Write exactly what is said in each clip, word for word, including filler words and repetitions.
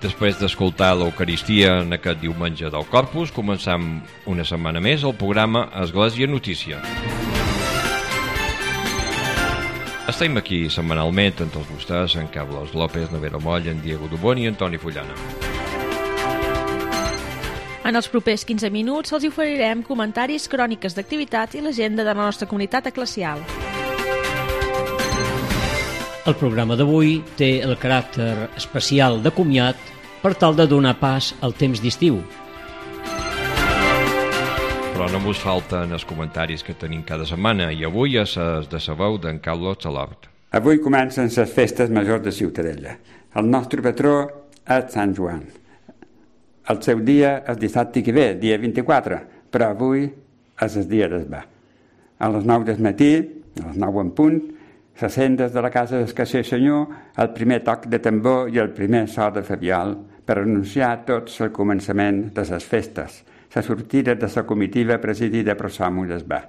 Després d'escoltar l'Eucaristia en aquest diumenge del Corpus, començam una setmana més el programa Església Notícia. Estem aquí setmanalment amb tots vostès, en Carlos López, Nevera Moll, en Diego Dubón i Antoni Fullana. En els propers quinze minuts els oferirem comentaris, cròniques d'activitat i l'agenda de la nostra comunitat eclesial. El programa d'avui té el caràcter especial de comiat per tal de donar pas al temps d'estiu. Però no mos falten els comentaris que tenim cada setmana i avui és els de sa veu d'en Carlos Salort. Avui comencen les festes majors de Ciutadella. El nostre patró és Sant Joan. El seu dia és dissabte que ve, dia vint-i-quatre, però avui és el dia d'esbar. A les nou del matí, a les nou en punt, se sent des de la casa del Casser Senyor el primer toc de tambor i el primer so de fabiol per anunciar tots el començament de les festes, la sortida de la comitiva presidida per Somo d'esbar.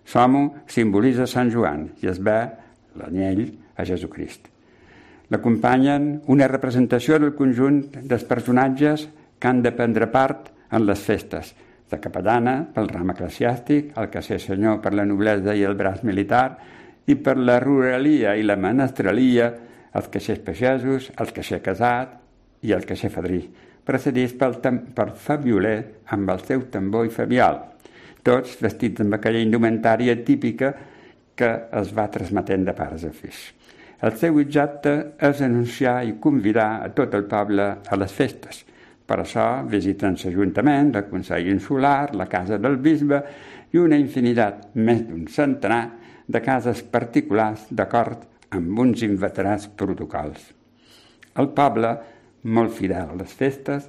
Somo simbolitza Sant Joan i esbar, l'anyell, a Jesucrist. L'acompanyen una representació del conjunt dels personatges que han de prendre part en les festes. La capellana pel ram eclesiàstic, el Casser Senyor per la noblesa i el braç militar, i per la ruralia i la menestralia, els caixers pagesos, el caixer casat i el caixer fadrí, precedits pel, per fabioler amb el seu tambor i fabiol, tots vestits amb aquella indumentària típica que es va transmetent de pares a fills. El seu objecte és anunciar i convidar a tot el poble a les festes. Per això visiten l'Ajuntament, el Consell Insular, la Casa del Bisbe i una infinitat, més d'un centenar, de cases particulars d'acord amb uns inveterats protocols. El poble, molt fidel a les festes,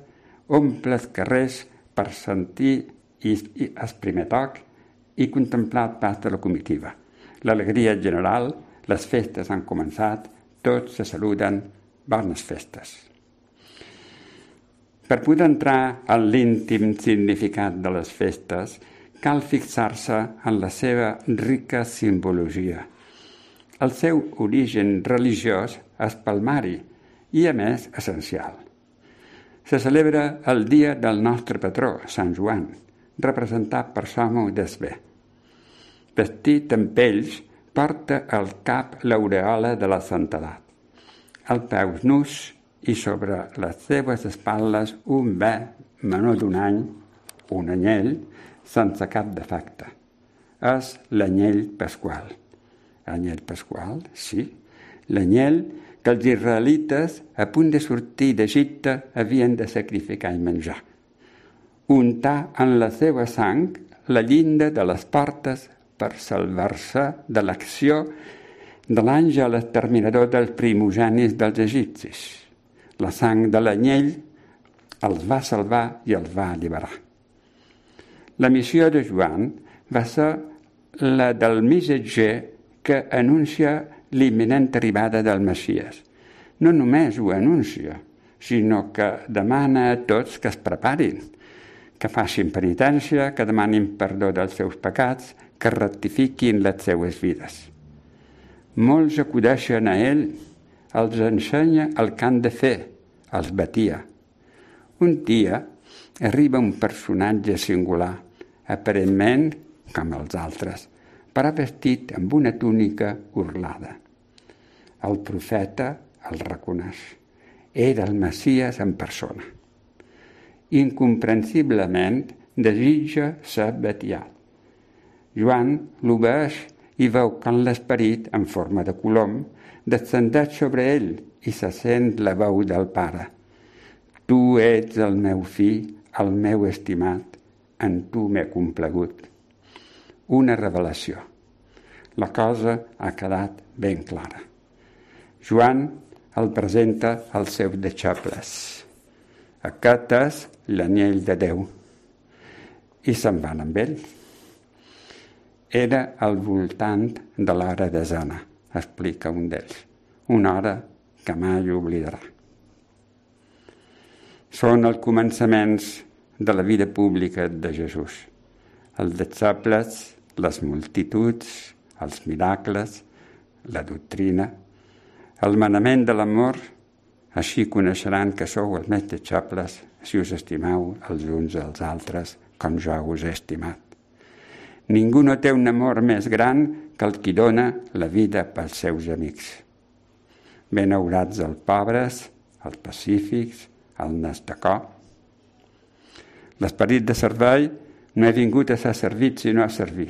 omple els carrers per sentir el primer toc i contemplar el pas de la comitiva. L'alegria general, les festes han començat, tots se saluden, bones festes. Per poder entrar en l'íntim significat de les festes, cal fixar-se en la seva rica simbologia. El seu origen religiós és palmari i, a més, essencial. Se celebra el dia del nostre patró, Sant Joan, representat per Somo d'esbar. Vestit amb pells, porta al cap l'aureola de la santedat. Al peus nus i sobre les seves espatlles un bé menor d'un any, un anyell, sense cap defecte. És l'anyell pasqual. Anyell pasqual, sí. L'anyell que els israelites, a punt de sortir d'Egipte, havien de sacrificar i menjar. Untar en la seva sang la llinda de les portes per salvar-se de l'acció de l'àngel exterminador dels primogènits dels egipcis. La sang de l'anyell els va salvar i els va alliberar. La missió de Joan va ser la del missatger que anuncia l'imminent arribada del Messies. No només ho anuncia, sinó que demana a tots que es preparin, que facin penitència, que demanin perdó dels seus pecats, que rectifiquin les seues vides. Molts acudeixen a ell, els ensenya el que han de fer, els batia. Un dia arriba un personatge singular, aparentment com els altres, però vestit amb una túnica orlada. El profeta el reconeix. Era el Messies en persona. Incomprensiblement desitja ser batiat. Joan l'obeeix i veu que l'esperit, en forma de colom, descendeix sobre ell i se sent la veu del Pare. Tu ets el meu fill, el meu estimat, en tu m'he complagut. Una revelació. La cosa ha quedat ben clara. Joan el presenta als seus deixebles. Aquest és l'anyell de Déu. I se'n van amb ell. Era al voltant de l'hora desena, explica un d'ells. Una hora que mai oblidarà. Són els començaments de la vida pública de Jesús. Els deixebles, les multituds, els miracles, la doctrina, el manament de l'amor, Així coneixeran que sou els meus deixebles si us estimeu els uns als altres com jo us he estimat. Ningú no té un amor més gran que el qui dona la vida pels seus amics. Benaurats els pobres, els pacífics, el nastacó. L'esperit de servei no he vingut a ser servit sinó a servir.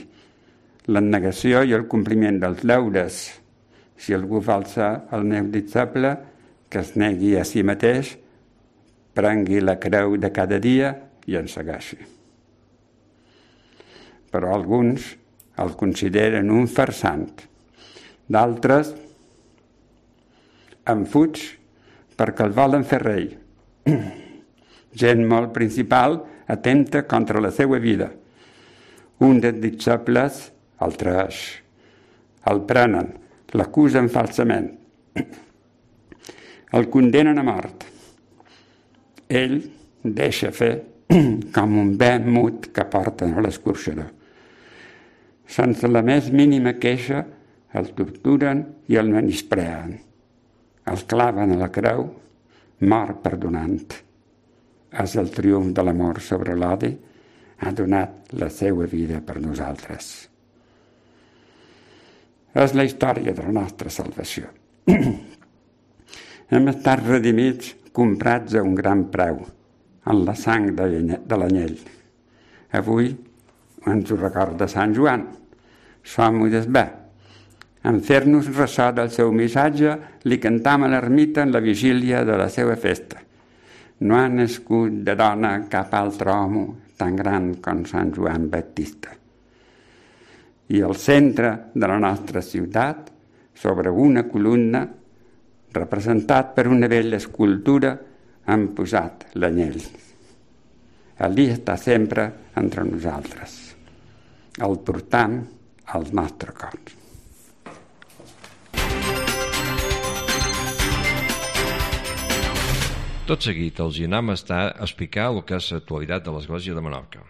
L'abnegació i el compliment dels deures. Si algú vol ser el meu deixeble, que es negui a si mateix, prengui la creu de cada dia i en segueixi. Però alguns el consideren un farsant. D'altres en fuig perquè el volen fer rei. Gent molt principal atempta contra la seva vida. Un dels deixebles el traeix, el prenen, l'acusen falsament, el condenen a mort. Ell deixa fer com un bé mut que porten a l'escorxador. Sense la més mínima queixa, el torturen i el menyspreen. El claven a la creu, mort perdonant. És el triomf de l'amor sobre l'odi, ha donat la seva vida per nosaltres. És la història de la nostra salvació. Hem estat redimits, comprats a un gran preu, en la sang de l'anyell. Avui ens ho recorda Sant Joan. Som-ho des bé. En fer-nos ressò del seu missatge, li cantam a l'ermita en la vigília de la seva festa. No ha nascut de dona cap altre home tan gran com Sant Joan Baptista. I al centre de la nostra ciutat, sobre una columna, representat per una vella escultura, han posat l'anyell. Allí està sempre entre nosaltres. El portam als nostres cors. Tot seguit els hi anem a estar a explicar el que és l'actualitat de l'Església de Menorca.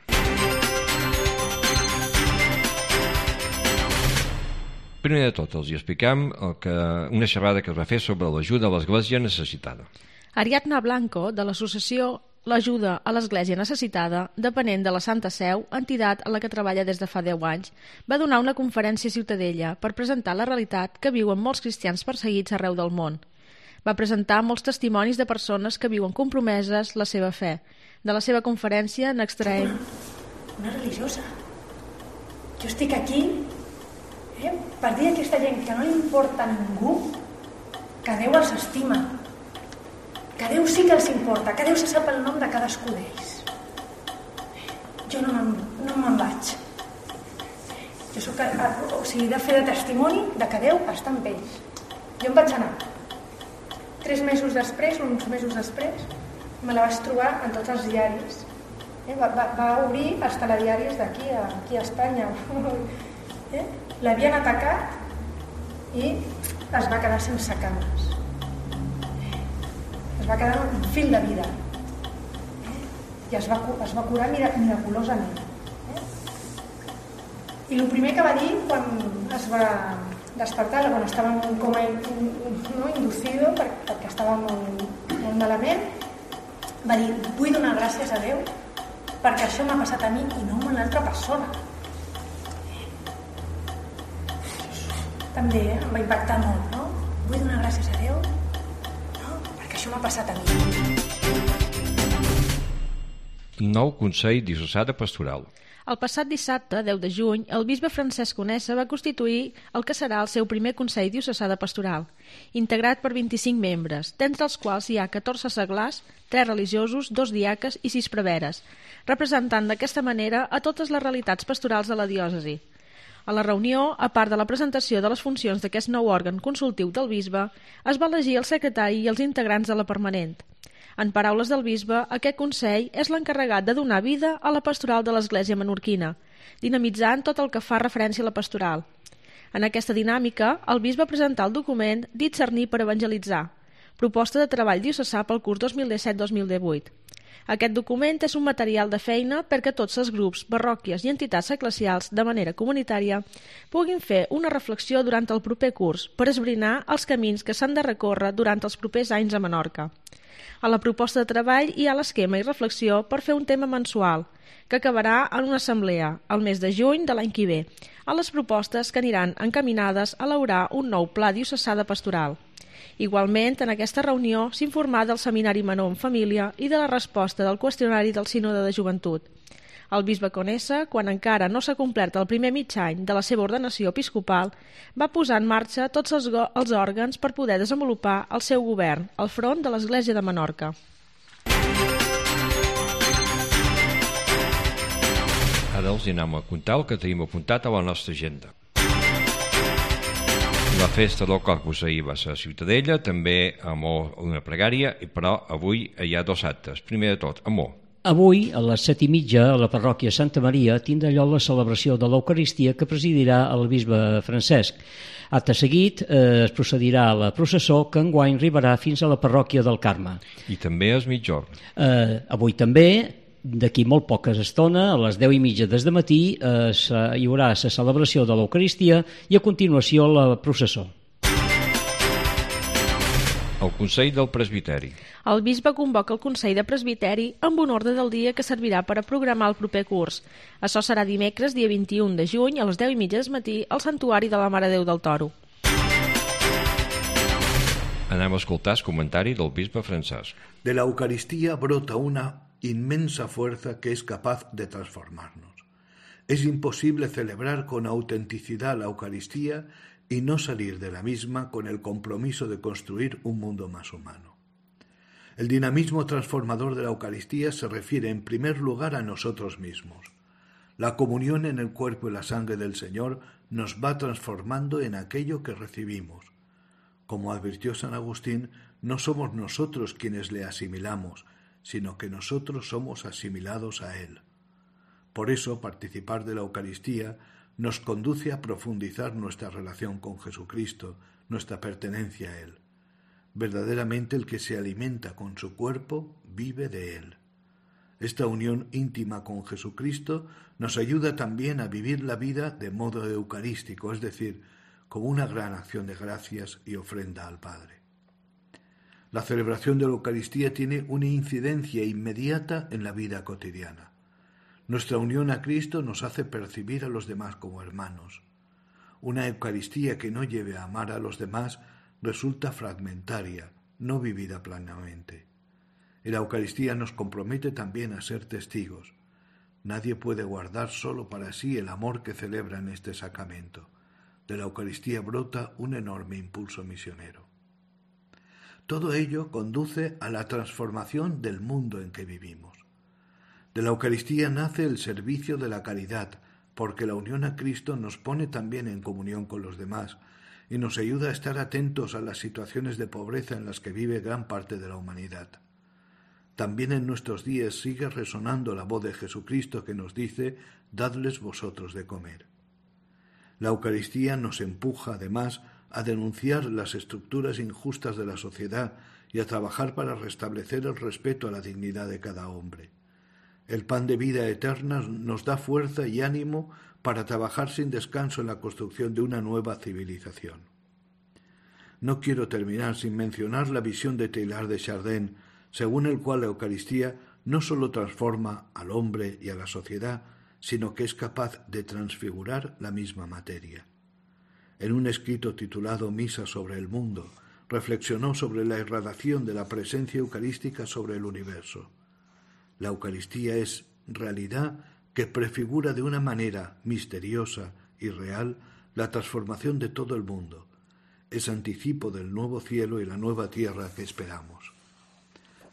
Primer de tot els hi explicam el que, una xerrada que es va fer sobre l'ajuda a l'Església necessitada. Ariadna Blanco, de l'associació L'Ajuda a l'Església Necessitada, depenent de la Santa Seu, entitat en la que treballa des de fa deu anys, va donar una conferència a Ciutadella per presentar la realitat que viuen molts cristians perseguits arreu del món. Va presentar molts testimonis de persones que viuen compromeses la seva fe. De la seva conferència n'extraem... Una religiosa. Jo estic aquí eh, per dir a aquesta gent que no li importa a ningú, que Déu els estima, que Déu sí que els importa, que Déu se sap el nom de cadascú d'ells. Jo no me'n no me'n vaig. Jo soc, o sigui, de fer de testimoni de que Déu està amb ells. Jo em vaig anar. Tres mesos després, uns mesos després, me la vaig trobar en tots els diaris. Eh? Va, va, va obrir els telediaris d'aquí a, aquí a Espanya. Eh? L'havien atacat i es va quedar sense cames. Es va quedar un fil de vida. Eh? I es va, es va curar miraculosament. Eh? I el primer que va dir quan es va despertar, quan estava en un coma no, inducido, perquè estava molt, molt malament, va dir, vull donar gràcies a Déu perquè això m'ha passat a mi i no a una altra persona. També eh, em va impactar molt, no? Vull donar gràcies a Déu no? perquè això m'ha passat a mi. Nou Consell Diocesà de Pastoral. El passat dissabte, deu de juny, el bisbe Francesc Conesa va constituir el que serà el seu primer Consell Diocesà de Pastoral, integrat per vint-i-cinc membres, d'entre els quals hi ha catorze seglars, tres religiosos, dos diaques i sis preveres, representant d'aquesta manera a totes les realitats pastorals de la diòcesi. A la reunió, a part de la presentació de les funcions d'aquest nou òrgan consultiu del bisbe, es va elegir el secretari i els integrants de la permanent. En paraules del bisbe, aquest Consell és l'encarregat de donar vida a la pastoral de l'Església menorquina, dinamitzant tot el que fa referència a la pastoral. En aquesta dinàmica, el bisbe presentà el document Discernir per evangelitzar, proposta de treball diocesà pel curs dos mil disset dos mil divuit. Aquest document és un material de feina perquè tots els grups, parròquies i entitats eclesials de manera comunitària puguin fer una reflexió durant el proper curs per esbrinar els camins que s'han de recórrer durant els propers anys a Menorca. A la proposta de treball hi ha l'esquema i reflexió per fer un tema mensual, que acabarà en una assemblea, el mes de juny de l'any que ve, a les propostes que aniran encaminades a elaborar un nou pla diocesà de pastoral. Igualment, en aquesta reunió s'informà del Seminari Menor en Família i de la resposta del qüestionari del Sínode de Joventut. El bisbe Conesa, quan encara no s'ha complert el primer mig any de la seva ordenació episcopal, va posar en marxa tots els, els òrgans per poder desenvolupar el seu govern al front de l'Església de Menorca. Ara els anem a contar el que tenim apuntat a la nostra agenda. La festa del Corpus ahir va ser a Ciutadella, també a Amor una pregària, però avui hi ha dos actes. Primer de tot, Amor. Avui, a les set i mitja, a la parròquia Santa Maria, tindrà lloc la celebració de l'Eucaristia que presidirà el bisbe Francesc. Acte seguit, eh, es procedirà a la processó que enguany arribarà fins a la parròquia del Carme. I també és mitjorn. Eh, avui també, d'aquí molt poca estona, a les deu i mitja des de matí, eh, hi haurà la celebració de l'Eucaristia i a continuació la processó. El Consell del Presbiteri. El bisbe convoca el Consell de Presbiteri amb un ordre del dia que servirà per a programar el proper curs. Això serà dimecres, dia vint-i-un de juny, a les deu i mitja del matí, al Santuari de la Mare Déu del Toro. Anem a escoltar el comentari del bisbe Francesc. De la Eucaristía brota una inmensa fuerza que es capaz de transformarnos. Es imposible celebrar con autenticidad la Eucaristía y no salir de la misma con el compromiso de construir un mundo más humano. El dinamismo transformador de la Eucaristía se refiere en primer lugar a nosotros mismos. La comunión en el cuerpo y la sangre del Señor nos va transformando en aquello que recibimos. Como advirtió San Agustín, no somos nosotros quienes le asimilamos, sino que nosotros somos asimilados a Él. Por eso, participar de la Eucaristía nos conduce a profundizar nuestra relación con Jesucristo, nuestra pertenencia a Él. Verdaderamente el que se alimenta con su cuerpo vive de Él. Esta unión íntima con Jesucristo nos ayuda también a vivir la vida de modo eucarístico, es decir, como una gran acción de gracias y ofrenda al Padre. La celebración de la Eucaristía tiene una incidencia inmediata en la vida cotidiana. Nuestra unión a Cristo nos hace percibir a los demás como hermanos. Una Eucaristía que no lleve a amar a los demás resulta fragmentaria, no vivida plenamente. Y la Eucaristía nos compromete también a ser testigos. Nadie puede guardar solo para sí el amor que celebra en este sacramento. De la Eucaristía brota un enorme impulso misionero. Todo ello conduce a la transformación del mundo en que vivimos. De la Eucaristía nace el servicio de la caridad, porque la unión a Cristo nos pone también en comunión con los demás y nos ayuda a estar atentos a las situaciones de pobreza en las que vive gran parte de la humanidad. También en nuestros días sigue resonando la voz de Jesucristo que nos dice: «Dadles vosotros de comer». La Eucaristía nos empuja, además, a denunciar las estructuras injustas de la sociedad y a trabajar para restablecer el respeto a la dignidad de cada hombre. El pan de vida eterna nos da fuerza y ánimo para trabajar sin descanso en la construcción de una nueva civilización. No quiero terminar sin mencionar la visión de Teilhard de Chardin, según el cual la Eucaristía no solo transforma al hombre y a la sociedad, sino que es capaz de transfigurar la misma materia. En un escrito titulado Misa sobre el mundo, reflexionó sobre la irradiación de la presencia eucarística sobre el universo. La Eucaristía es realidad que prefigura de una manera misteriosa y real la transformación de todo el mundo. Es anticipo del nuevo cielo y la nueva tierra que esperamos.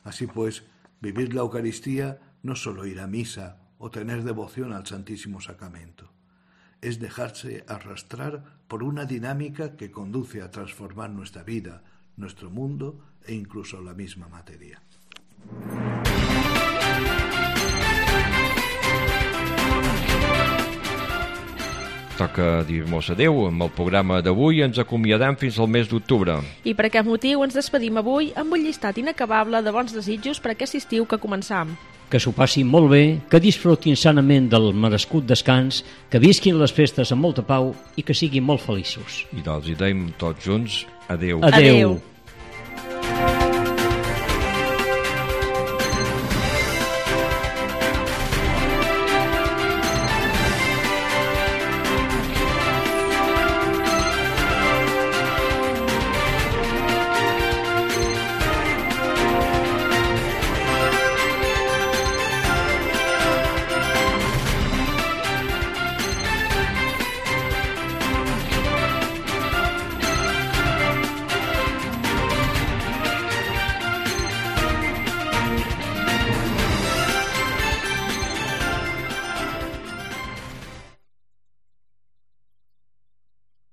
Así pues, vivir la Eucaristía no es solo ir a misa o tener devoción al Santísimo Sacramento. Es dejarse arrastrar por una dinámica que conduce a transformar nuestra vida, nuestro mundo e incluso la misma materia. toca dir-nos adeu. Amb el programa d'avui ens acomiadem fins al mes d'octubre. I per aquest motiu ens despedim avui amb un llistat inacabable de bons desitjos per aquest estiu que començam. Que s'ho passin molt bé, que disfrutin sanament del merescut descans, que visquin les festes amb molta pau i que siguin molt feliços. I doncs hi deim tots junts adeu. Adeu. Adeu.